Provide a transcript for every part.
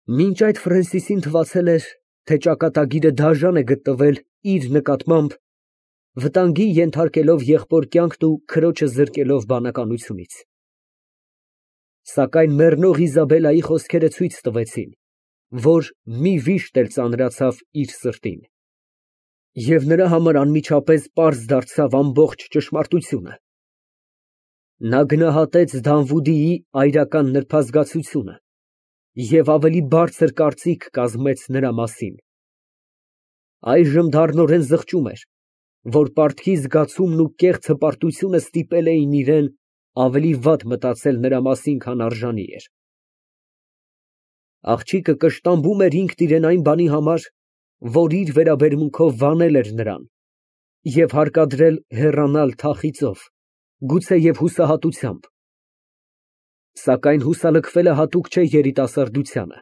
Մինչ այդ Ֆրենսիսին թվացել էր, թե ճակատագիրը դաժան է գտնվել իր նկատմամբ, վտանգի ենթարկելով եղբոր կյանքն ու քրոջը զրկելով բանականությունից։ Սակայն մեռնող Իզաբելլայի խոսքերը ցույց տվեցին, որ մի վիշտ էլ ծանրացավ իր սրտին, և նրա համար անմիջապես պարզ դարձավ ամբողջ ճշմարտությունը։ Նա գնահատեց Դանվուդիի այրական նրբազգացությունը և ավելի բարձր կարծիք կազմեց նրա մասին։ Այժմ դառնորեն զղջում էր, որ պարտքի զգացումն ու կեղծ հպարտությունը ստիպել էին իրան ավելի վատ մտածել նրա մասին, քան արժանի էր։ Աղջիկը կշտամբում էր ինքն իրան այն բանի համար, որ իր վերաբերմունքով վանել էր նրան, և հարկադրել հեռանալ թախիծով, գուցեև հուսահատությամբ։ Սակայն հուսալքվելը հատուկ չէ երիտասարդությանը,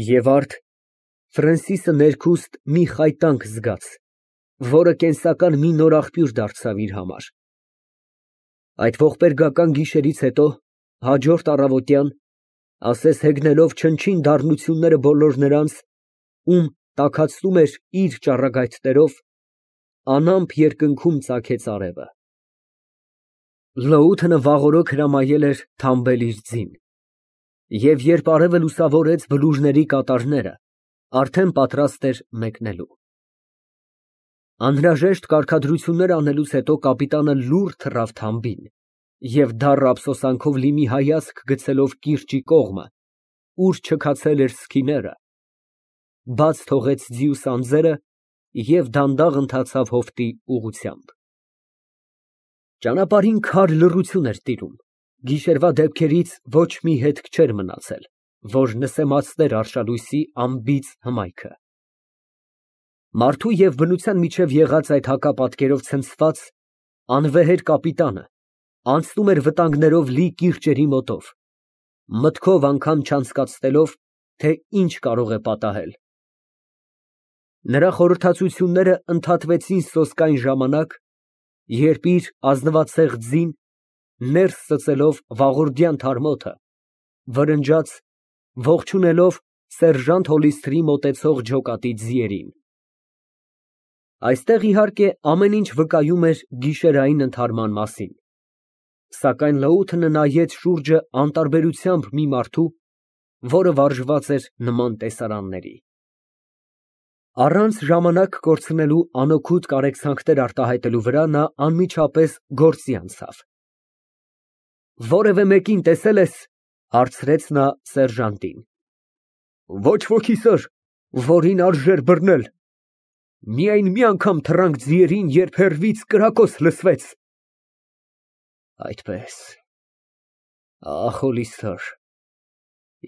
և արդ Ֆրենսիսը ներքուստ մի խայտանք զգաց, որը կենսական մի նոր աղբյուր դարձավ իր համար։ Այդ ողբերգական գիշերից հետո, հաջորդ առավոտյան, ասես հեգնելով չնչին դառնությունները բոլոր նրանց, ում տաքացնում էր իր ճառագայթներով, անամպ երկնքում ծագեց արևը։ Լոութը վաղօրոք հրամայել էր թամբել իր ձին, և երբ արևը լուսավորեց բլուրների կատարները, արդեն պատրաստ էր մեկնելու։ Անհրաժեշտ կարգադրություններ անելուց հետո կապիտանը լուռ թռավ թամբին և դառը ափսոսանքով մի հայացք գցելով կիրճի կողմը, ուր չքացել էր սքիները, բաց թողեց ձիուց անձերը և դանդաղ ընթացավ հովտի ուղղությամբ։ Ճանապարհին քար լռություն էր տիրում, գիշերվա դեպքերից ոչ մի հետք չէր մնացել, որ նսեմացներ արշալույսի անբիծ հմայքը։ Մարդու և բնության միջև եղած այդ հակապատկերով ցնցված, անվեհեր կապիտանը անցնում էր վտանգներով լի կիրճերի մոտով, մտքով անգամ չանցկացնելով, թե ինչ կարող է պատահել։ Նրա խորհրդածությունները ընդհատվեցին սոսկայն ժամանակ, երբ իր ազնվացեղ ձին, ներս ծծելով վաղորդյան թարմոթը, վրնջաց, ողջունելով սերժանտ Հոլիսթրի մոտեցող ջոկատի ձիերին։ Այստեղ, իհարկե, ամեն ինչ վկայում էր գիշերային ընդհարման մասին, սակայն Լոութը նայեց շուրջը անտարբերությամբ մի մարդու, որը վարժված էր նման տեսարանների։ Առանց ժամանակ կորցնելու անօգուտ կարեկցանքներ արտահայտելու վրա նա անմիջապես գործի անցավ։ «Որևէ մեկին տեսե՞լ ես, ֊ հարցրեց նա սերժանտին։ ֊ Ոչ ոքի, սըր, որին արժեր բռնել. միայն մի անգամ թռանք ձիերին, երբ հեռվից կրակոց լսվեց։ Այդպես, ախ, Հոլիսթր,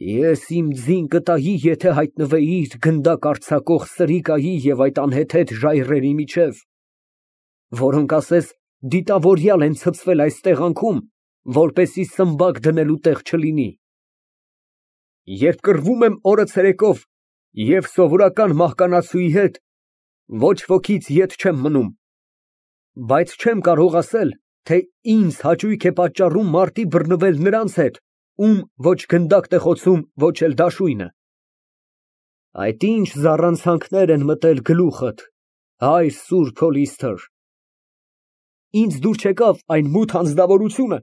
ես իմ ձին կտայի, եթե հայտնվեիր գնդակ արձակող սրիկայի և այդ անհեթեթ ժայռերի միջև, որոնք ասես դիտավորյալ են ցցվել այս տեղանքում, որպեսզի սմբակ դնելու տեղ չլինի։ Երբ կռվում եմ օրը ցերեկով և սովորական մահկանացուի հետ, ոչ wokից ետ չեմ մնում, բայց չեմ կարող ասել, թե ինձ հաճույք է պատճառում մարտի բռնվել նրանց հետ, ում ոչ գնդակն է խոցում, ոչ էլ դաշույնը։ Այդ ինչ զառանցանքներ են մտել գլուխդ, հայր սուրբ Հոլիսթր։ Ինձ դուր չեկավ այն մութ անձնավորությունը,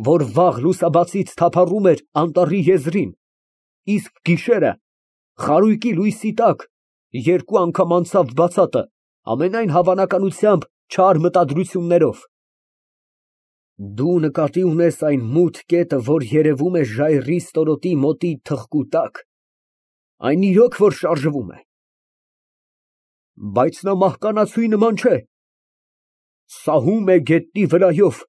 որ վաղ լուսաբացից թափառում էր անտառի եզրին, իսկ գիշերը, խարույկի լույսի տակ, երկու անգամ անցավ բացատը, ամենայն հավանականությամբ չար մտադրություններով։ Դու նկատի ունես այն մութ կետը, որ երևում է ժայռի ստորոտի մոտի թխկու տակ, այն իրոք որ շարժվում է։ Բայց նա մահկանացուի նման չէ, սահում է գետնի վրայով,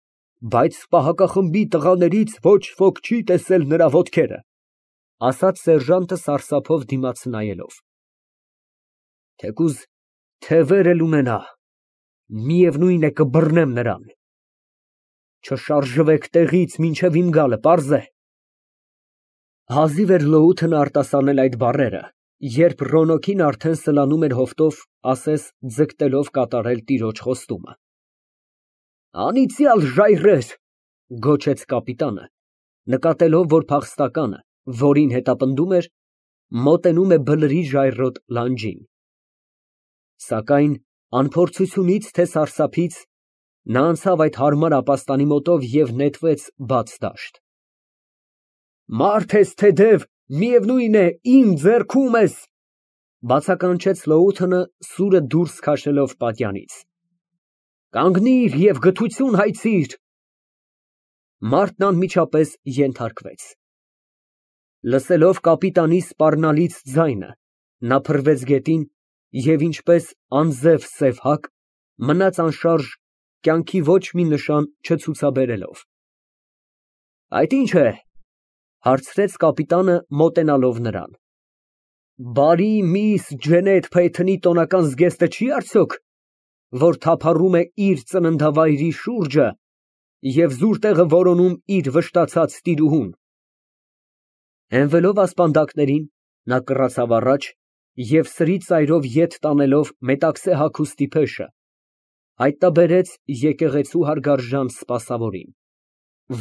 բայց պահակախմբի տղաներից ոչ ոք չի տեսել նրա ոտքերը, ֊ ասաց սերժանտը սարսափով դիմաց նայելով։ Թեկուզ թևեր էլ ունենա, միևնույն է կբռնեմ նրան։ Չշարժվեք տեղից մինչև իմ գալը, պարզ է։ Հազիվ էր Լոութն արտասանել այդ բառերը, երբ Ռոնոկին արդեն սլանում էր հովտով, ասես ձգտելով կատարել տիրոջ խոստումը։ Անիծյալ ժայռեր, ֊ գոչեց կապիտանը, նկատելով, որ փախստականը, որին հետապնդում էր, Մոտենում է բլրի ժայռոտ լանջին։ Սակայն անփորձությունից թե սարսափից նա անցավ այդ հարմար ապաստանի մոտով և նետվեց բաց դաշտ։ Մարդ ես թե դև, միևնույն է, իմ ձեռքում ես, բացականչեց Լոութենը սուրը դուրս քաշելով պատյանից։ Կանգնիր և գթություն հայցիր։ Մարդն անմիջապես ենթարկվեց։ Լսելով կապիտանի սպառնալից ձայնը, նա փռվեց գետին և ինչպես անձև սև հակ, մնաց անշարժ, կյանքի ոչ մի նշան չցուցաբերելով։ Այդ ի՞նչ է, հարցրեց կապիտանը մոտենալով նրան։ Բարի միս Ջենետ Փեյթոնի տոնական զգեստը չի՞ արդյոք, որ թափառում է իր ծննդավայրի շուրջը և զուր տեղը որոնում իր վշտացած տիրուհուն։ Հենվելով ասպանդակներին, նա կռացավ առաջ և սրի ծայրով ետ տանելով մետաքսե հագուստի փեշը, հայտնաբերեց եկեղեցու հարգարժան սպասավորին,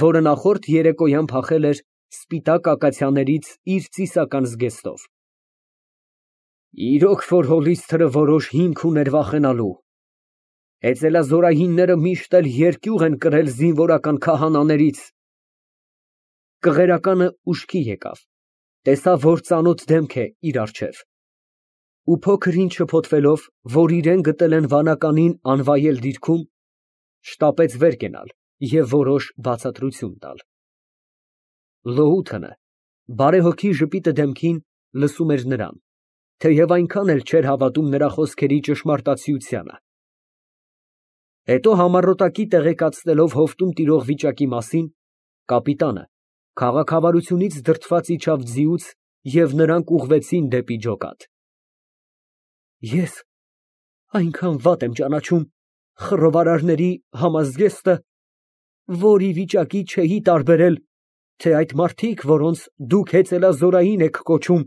որը նախորդ երեկոյան փախել էր սպիտակ ակացիաներից իր ծիսական զգեստով։ Իրոք որ հոլիսթերը որոշ հիմք ուներ վախենալու, հեծելազորայինները միշտ էլ երկյուղ են կրել զինվորական քահանաներից։ Կղերականը ուշքի եկավ, տեսավ, որ ծանոթ դեմք է իր առջև, ու փոքր ինչ շփոթվելով, որ իրան գտել են վանականին անվայել դիրքում, շտապեց վեր կենալ և որոշ բացատրություն տալ։ Լոութենը բարեհոգի ժպիտը դեմքին լսում էր նրան, թեև այնքան էլ չէր հավատում նրա խոսքերի ճշմարտացիությանը։ Հետո համառոտակի տեղեկացնելով հովտում տիրող վիճակի մասին, կապիտանը քաղաքավարությունից դրդված իջավ ձիուց և նրանք ուղղվեցին դեպի ջոկատ։ Ես այնքան վատ եմ ճանաչում խռովարարների համազգեստը, որ ի վիճակի չէի տարբերել, թե այդ մարդիկ, որոնց դուք հեծելազորային եք կոչում,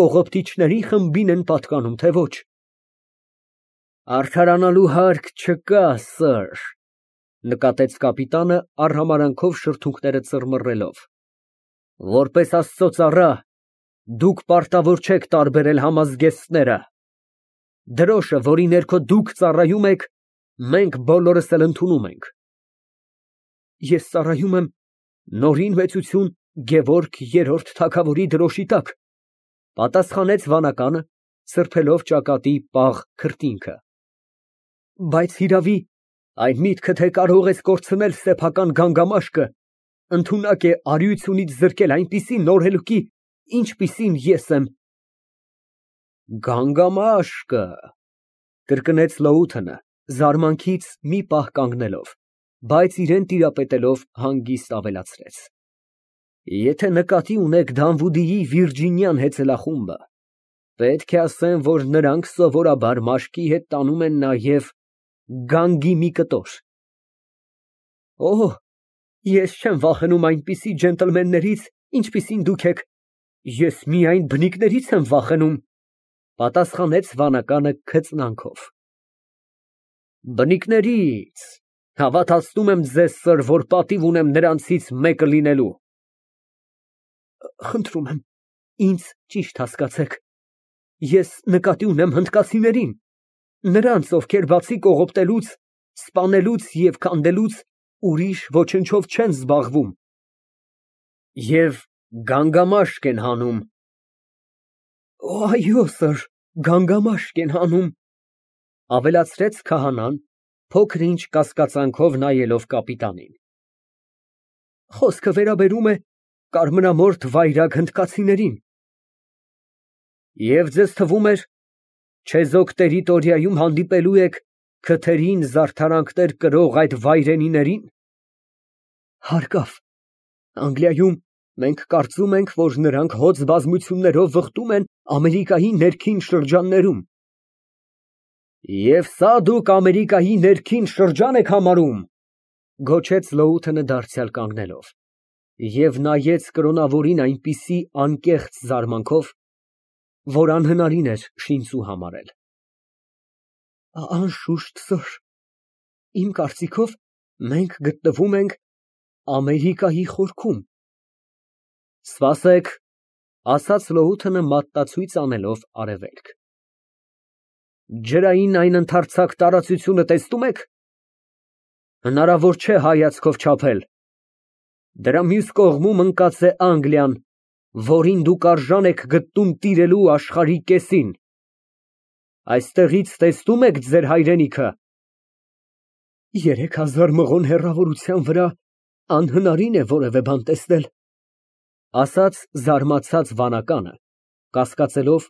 կողոպտիչների խմբին են պատկանում, թե ոչ։ Արդարանալու հարկ չկա, սըր, նկատեց կապիտանը արհամարհանքով շրթունքները ծռմռելով։ Որպես Աստծո ծառա, դուք պարտավոր չեք տարբերել համազգեստները։ Դրոշը, որի ներքո դուք ծառայում եք, մենք բոլորս էլ ընդունում ենք։ Ես ծառայում եմ Նորին մեծություն Գևորգ երրորդ թագավորի դրոշի տակ, պատասխանեց վանականը, սրբելով ճակատի պաղ քրտինքը։ Բայց հիրավի, այն միտքը, թե կարող ես կորցնել սեփական գանգամաշկը, ընդունակ է արիությունից զրկել այնպիսի նորելուկի, ինչպիսին ես եմ։ Գանգամաշկը, կրկնեց Լոութենը, զարմանքից մի պահ կանգնելով, բայց իրան տիրապետելով հանգիստ ավելացրեց. Եթե նկատի ունեք Դանվուդիի վիրջինյան հեծելախումբը, պետք է ասեմ, որ նրանք սովորաբար մաշկի հետ տանում են նաև գանգի մի կտոր։ Օհ, ես չեմ վախենում այնպիսի ջենտլմեններից, ինչպիսին դուք եք, ես միայն բնիկներից եմ վախենում, պատասխանեց վանականը քծնանքով։ Բնիկների՞ց, հավատացնում եմ ձեզ, սըր, որ պատիվ ունեմ նրանցից մեկը լինելու։ Խնդրում եմ, ինձ ճիշտ հասկացեք, ես նկատի ունեմ հնդկացիներին, նրանց, ովքեր բացի կողոպտելուց, սպանելուց և քանդելուց, ուրիշ ոչնչով չեն զբաղվում։ Եվ գանգամաշկ են հանում։ Այո, սըր, գանգամաշկ են հանում, ավելացրեց քահանան, փոքր ինչ կասկածանքով նայելով կապիտանին։ Խոսքը վերաբերում է կարմրամորթ վայրագ հնդկացիներին։ Եվ ձեզ թվում էր, չեզոք տերիտորիայում հանդիպելու եք քթերին զարդարանքներ կրող այդ վայրենիներին։ Հարկավ, Անգլիայում մենք կարծում ենք, որ նրանք հոծ բազմություններով վխտում են Ամերիկայի ներքին շրջաններում։ Եվ սա դուք Ամերիկայի ներքին շրջան եք համարում, գոչեց Լոութենը դարձյալ կանգնելով, և նայեց կրոնավորին այնպիսի անկեղծ զարմանքով, որ անհնարին էր շինծու համարել։ Անշուշտ, սըր, իմ կարծիքով մենք գտնվում ենք Ամերիկայի խորքում։ Սպասեք, Ասաց Լոութը մատտացույց անելով արևելք։ Ջրային այն ընդարձակ տարածությունը տեսնում եք։ Հնարավոր չէ հայացքով չափել։ Դրա մյուս կողմում ընկած է Անգլիան, որին դուք արժան եք գտնում տիրելու աշխարհի կեսին։ Այստեղից տեսնում եք ձեր հայրենիքը։ 3000 մղոն հեռավորության վրա անհնարին է որևէ բան տեսնել, ասաց զարմացած վանականը, կասկածելով,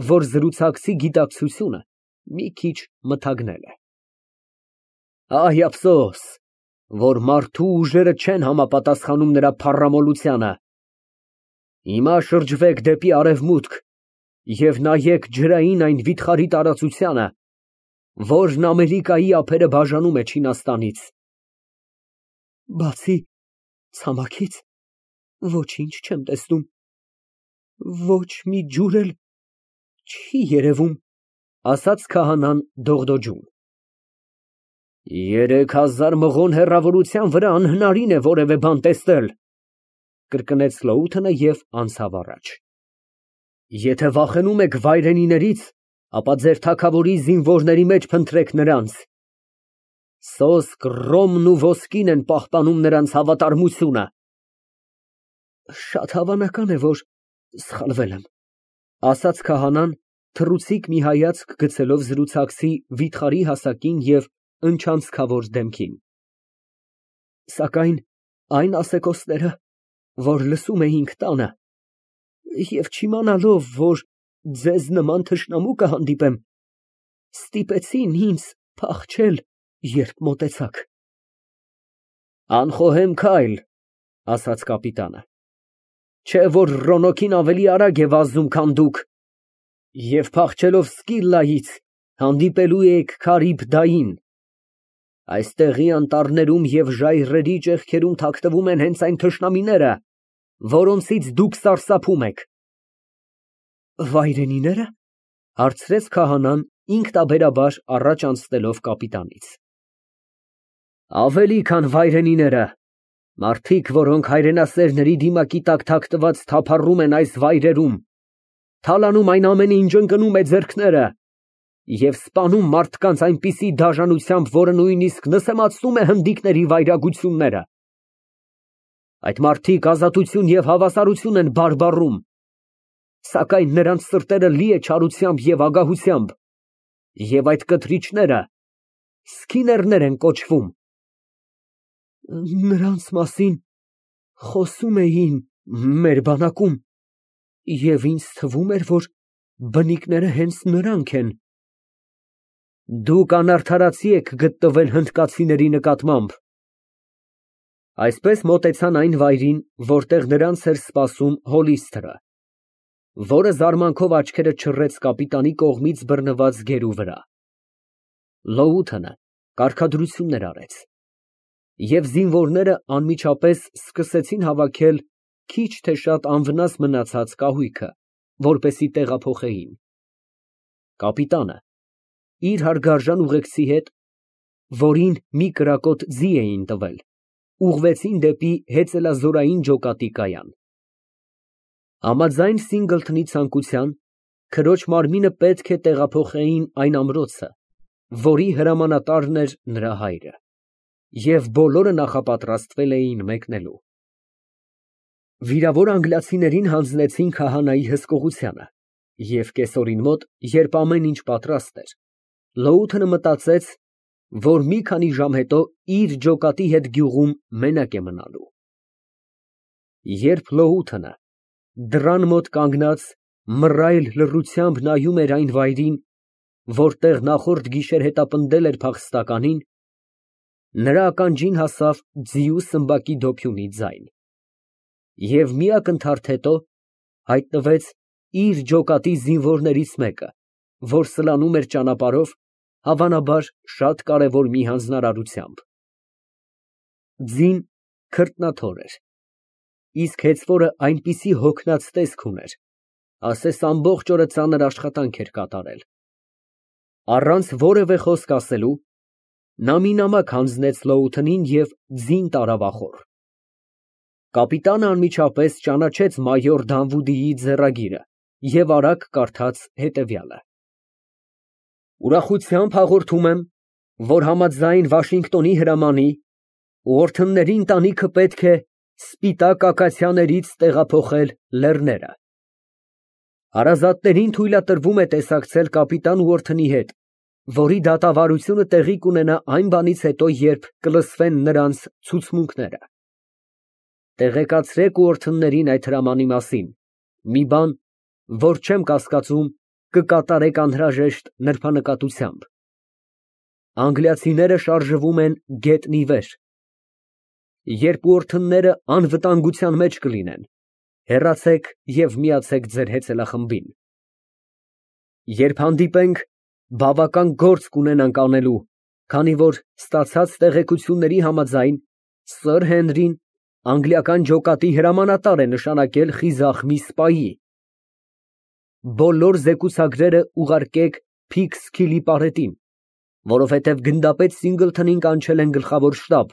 որ զրուցակցի գիտակցությունը մի քիչ մթագնել է։ Այ ափսոս, որ մարդու ուժերը չեն համապատասխանում նրա փառամոլությանը։ Հիմա շրջվեք դեպի արևմուտք և նայեք ջրային այն վիթխարի տարածությանը, որն Ամերիկայի ափերը բաժանում է Չինաստանից։ Բացի ցամաքից ոչինչ չեմ տեսնում, ոչ մի ջուր էլ չի երևում, ասաց քահանան դողդոջում։ 3000 մղոն հեռավորության վրա անհնարին է որևէ բան տեսնել, կրկնեց Լոութը և անցավ առաջ։ Եթե վախենում եք վայրենիներից, ապա ձեր թագավորի զինվորների մեջ փնտրեք նրանց։ Սոսկ, ռոմն ու ոսկին են պահպանում նրանց հավատարմությունը։ Շատ հավանական է, որ սխալվել եմ, ասաց քահանան, թռուցիկ մի հայացք գցելով զրուցակցի վիթխարի հասակին և ընչանցքավոր դեմքին։ Սակայն այն ասեկոսները, որ լսում էինք տանը, և չիմանալով, որ ձեզ նման թշնամու կհանդիպեմ, ստիպեցին ինձ փախչել, երբ մոտեցաք։ Անխոհեմ քայլ, ասաց կապիտանը, չէ որ Ռոնոքին ավելի արագ է վազում, քան դուք, և փախչելով Սկիլլայից հանդիպելու եք Քարիբդային։ Այստեղի անտառներում և ժայռերի ճեղքերում թաքնվում են հենց այն թշնամիները, որոնցից դուք սարսափում եք։ Վայրենինե՞րը, հարցրեց քահանան, ինքնաբերաբար առաջ անցնելով կապիտանից։ Ավելի, քան վայրենիները, մարդիկ, որոնք հայրենասերների դիմակի տակ թաքնված թափառում են այս վայրերում, թալանում այն ամենը, ինչ ընկնում է ձեռքները, և սպանում մարդկանց այնպիսի դաժանությամբ, որը նույնիսկ նսեմացնում է հնդիկների վայրագությունները։ Այդ մարդիկ ազատություն և հավասարություն են բարբառում, սակայն նրանց սրտերը լի է չարությամբ և ագահությամբ, և այդ կթրիչները սքիներներ են կոչվում։ Նրանց մասին խոսում էին մեր բանակում, և ինձ թվում էր, որ բնիկները հենց նրանք են։ Դուք անարդարացի եք գտնվել հնդկացիների նկատմամբ։ Այսպես մոտեցան այն վայրին, որտեղ նրանց էր սպասում Հոլիսթը, որը զարմանքով աչքերը չռեց կապիտանի կողմից բռնված գերու վրա։ Լոութը կարգադրություններ արեց, և զինվորները անմիջապես սկսեցին հավաքել քիչ թե շատ անվնաս մնացած կահույքը, որպեսզի տեղափոխեին։ Կապիտանը իր հարգարժան ուղեկցի հետ, որին մի կրակոտ ձի էին տվել, ուղղվեցին դեպի հեծելազորային ջոկատի կայան։ Համաձայն Սինգլթոնի ցանկության, քրոջ մարմինը պետք է տեղափոխեին այն ամրոցը, որի հրամանատարն էր նրա հայրը, և բոլորը նախապատրաստվել էին մեկնելու։ Վիրավոր անգլիացիներին հանձնեցին քահանայի հսկողությանը, և կեսօրին մոտ, երբ ամեն ինչ պատրաստ էր, Լոութը մտածեց, որ մի քանի ժամ հետո իր ջոկատի հետ գյուղում մենակ է մնալու։ Երբ Լոութը դռան մոտ կանգնած մռայլ լռությամբ նայում էր այն վայրին, որտեղ նախորդ գիշեր հետապնդել էր փախստականին, նրա ականջին հասավ ձիու սմբակի դոփյունի ձայն, և մի ակնթարթ հետո հայտնվեց իր ջոկատի զինվորներից մեկը, որ սլանում էր ճանապարհով, հավանաբար շատ կարևոր մի հանձնարարությամբ։ Ձին քրտնաթոր էր, իսկ հեծվորը այնպիսի հոգնած տեսք ուներ, ասես ամբողջ օրը ծանր աշխատանք էր կատարել։ Առանց որևէ խոսք ասելու, նա մի նամակ հանձնեց Լոութանին և ձին տարավ ախոր։ Կապիտանը անմիջապես ճանաչեց մայոր Դանվուդիի ձեռագիրը և արագ կարդաց հետևյալը. Ուրախությամբ հաղորդում եմ, որ համաձայն Վաշինգտոնի հրամանի, ուորթնների ընտանիքը պետք է սպիտակ ակացիաներից տեղափոխել լեռները։ Հարազատներին թույլատրվում է տեսակցել կապիտան Ուորթնի հետ, որի դատավարությունը տեղի կունենա այն բանից հետո, երբ կլսվեն նրանց ցուցմունքները։ Տեղեկացրեք ուորթններին այդ հրամանի մասին, մի բան, որ չեմ կասկածում, կկատարեք անհրաժեշտ նրբանկատությամբ։ Անգլիացիները շարժվում են գետնի վեր։ Երբ ուորթնները անվտանգության մեջ կլինեն, հեռացեք և միացեք ձեր հեծելախմբին։ Երբ հանդիպենք, բավական գործ կունենանք անելու, քանի որ ստացած տեղեկությունների համաձայն սըր Հենրին անգլիական ջոկատի հրամանատար է նշանակել խիզախ մի սպայի։ Բոլոր զեկուցագրերը ուղարկեք Փիքսքիլի պարետին, որովհետև գնդապետ Սինգլթոնին կանչել են գլխավոր շտաբ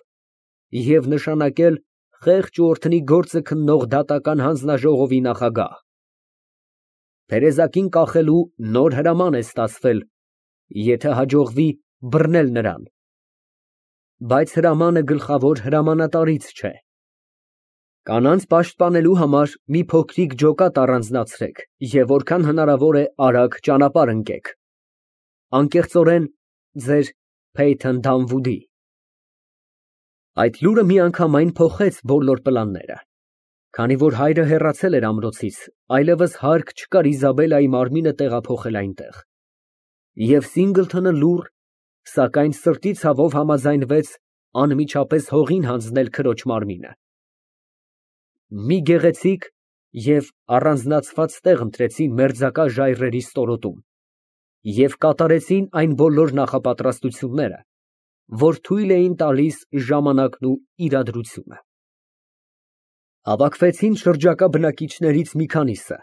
և նշանակել խեղճ ուորթնի գործը քննող դատական հանձնաժողովի նախագահ։ Թերեզակին կախելու նոր հրաման է ստացվել, եթե հաջողվի բռնել նրան, բայց հրամանը գլխավոր հրամանատարից չէ։ Կանանց պաշտպանելու համար մի փոքրիկ ջոկատ առանձնացրեք և որքան հնարավոր է արագ ճանապարհ ընկեք։ Անկեղծորեն, ձեր Փեյթոն Դանվուդի։ Այդ լուրը միանգամայն փոխեց բոլոր պլանները։ Քանի որ հայրը հեռացել էր ամրոցից, այլևս հարկ չկար Իզաբելայի մարմինը տեղափոխել այնտեղ։ Եվ Սինգլթոնը լուռ, սակայն սրտի ցավով համաձայնվեց անմիջապես հողին հանձնել քրոջ մարմինը։ Մի գեղեցիկ և առանձնացված տեղ ընտրեցին մերձակա ժայռերի ստորոտում և կատարեցին այն բոլոր նախապատրաստությունները, որ թույլ էին տալիս ժամանակն ու իրադրությունը։ Հավաքվեցին շրջակա բնակիչներից մի քանիսը,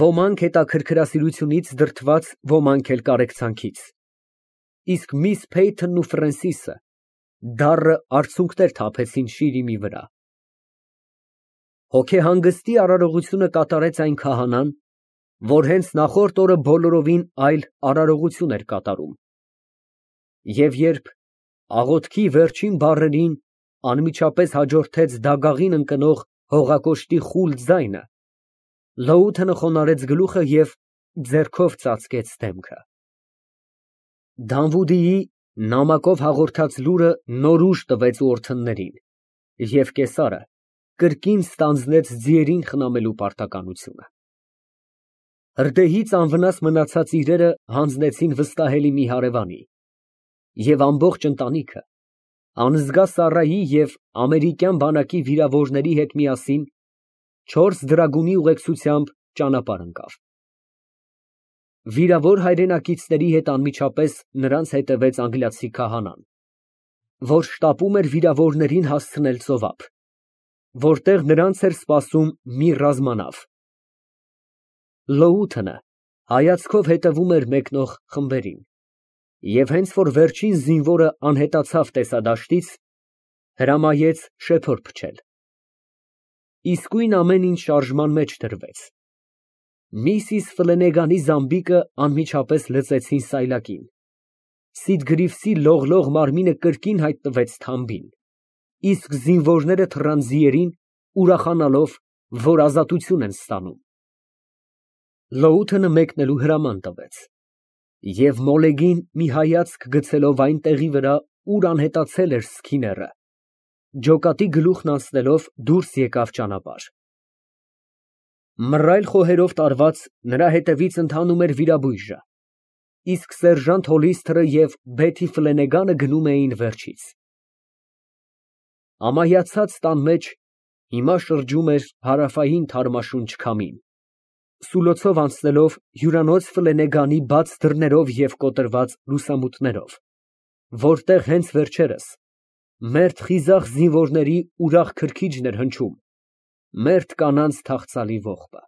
ոմանք հետաքրքրասիրությունից դրդված, ոմանք էլ կարեկցանքից, իսկ միս Փեյթոնն ու Ֆրենսիսը դառը արցունքներ թափեցին շիրիմի վրա։ Հոգեհանգստի արարողությունը կատարեց այն քահանան, որ հենց նախորդ օրը բոլորովին այլ արարողություն էր կատարում։ Եվ երբ աղոթքի վերջին բառերին անմիջապես հաջորդեց դագաղին ընկնող հողակոշտի խուլ ձայնը, Լոութենը խոնարհեց գլուխը և ձեռքով ծածկեց դեմքը։ Դանվուդիի նամակով հաղորդած լուրը նոր ուժ տվեց ուորթններին, և կեսարը կրկին ստանձնեց ձիերին խնամելու պարտականությունը։ Հրդեհից անվնաս մնացած իրերը հանձնեցին վստահելի մի հարևանի, և ամբողջ ընտանիքը, անզգա Սառայի և ամերիկյան բանակի վիրավորների հետ միասին, 4 դրագունի ուղեկցությամբ ճանապարհ ընկավ։ Վիրավոր հայրենակիցների հետ անմիջապես նրանց հետևեց անգլիացի քահանան, որ շտապում էր վիրավորներին հասցնել ծովափ, որտեղ նրանց էր սպասում մի ռազմանավ։ Լոութենը հայացքով հետևում էր մեկնող խմբերին, և հենց որ վերջին զինվորը անհետացավ տեսադաշտից, հրամայեց շեփոր փչել։ Իսկույն ամեն ինչ շարժման մեջ դրվեց։ Միսիս Ֆլենեգանի զամբիկը անմիջապես լծեցին սայլակին, Սիդ Գրիվսի լողլող մարմինը կրկին հայտնվեց թամբին, իսկ զինվորները թռան ձիերին, ուրախանալով, որ ազատություն են ստանում։ Լոութենը մեկնելու հրաման տվեց, և մոլեգին մի հայացք գցելով այն տեղի վրա, ուր անհետացել էր Սքիները, ջոկատի գլուխն անցնելով դուրս եկավ ճանապարհ։ Մռայլ խոհերով տարված նրա հետևից ընթանում էր վիրաբույժը, իսկ սերժանտ Հոլիսթերը և Բեթի Ֆլենեգանը գնում էին վերջից։ Ամայացած տան մեջ հիմա շրջում էր հարավային թարմաշունչ քամին, սուլոցով անցնելով հյուրանոց Ֆլենեգանի բաց դռներով և կոտրված լուսամուտներով, որտեղ հենց վերջերս մերթ խիզախ զինվորների ուրախ քրքիջն էր հնչում, մերթ կանանց թախծալի ողբը։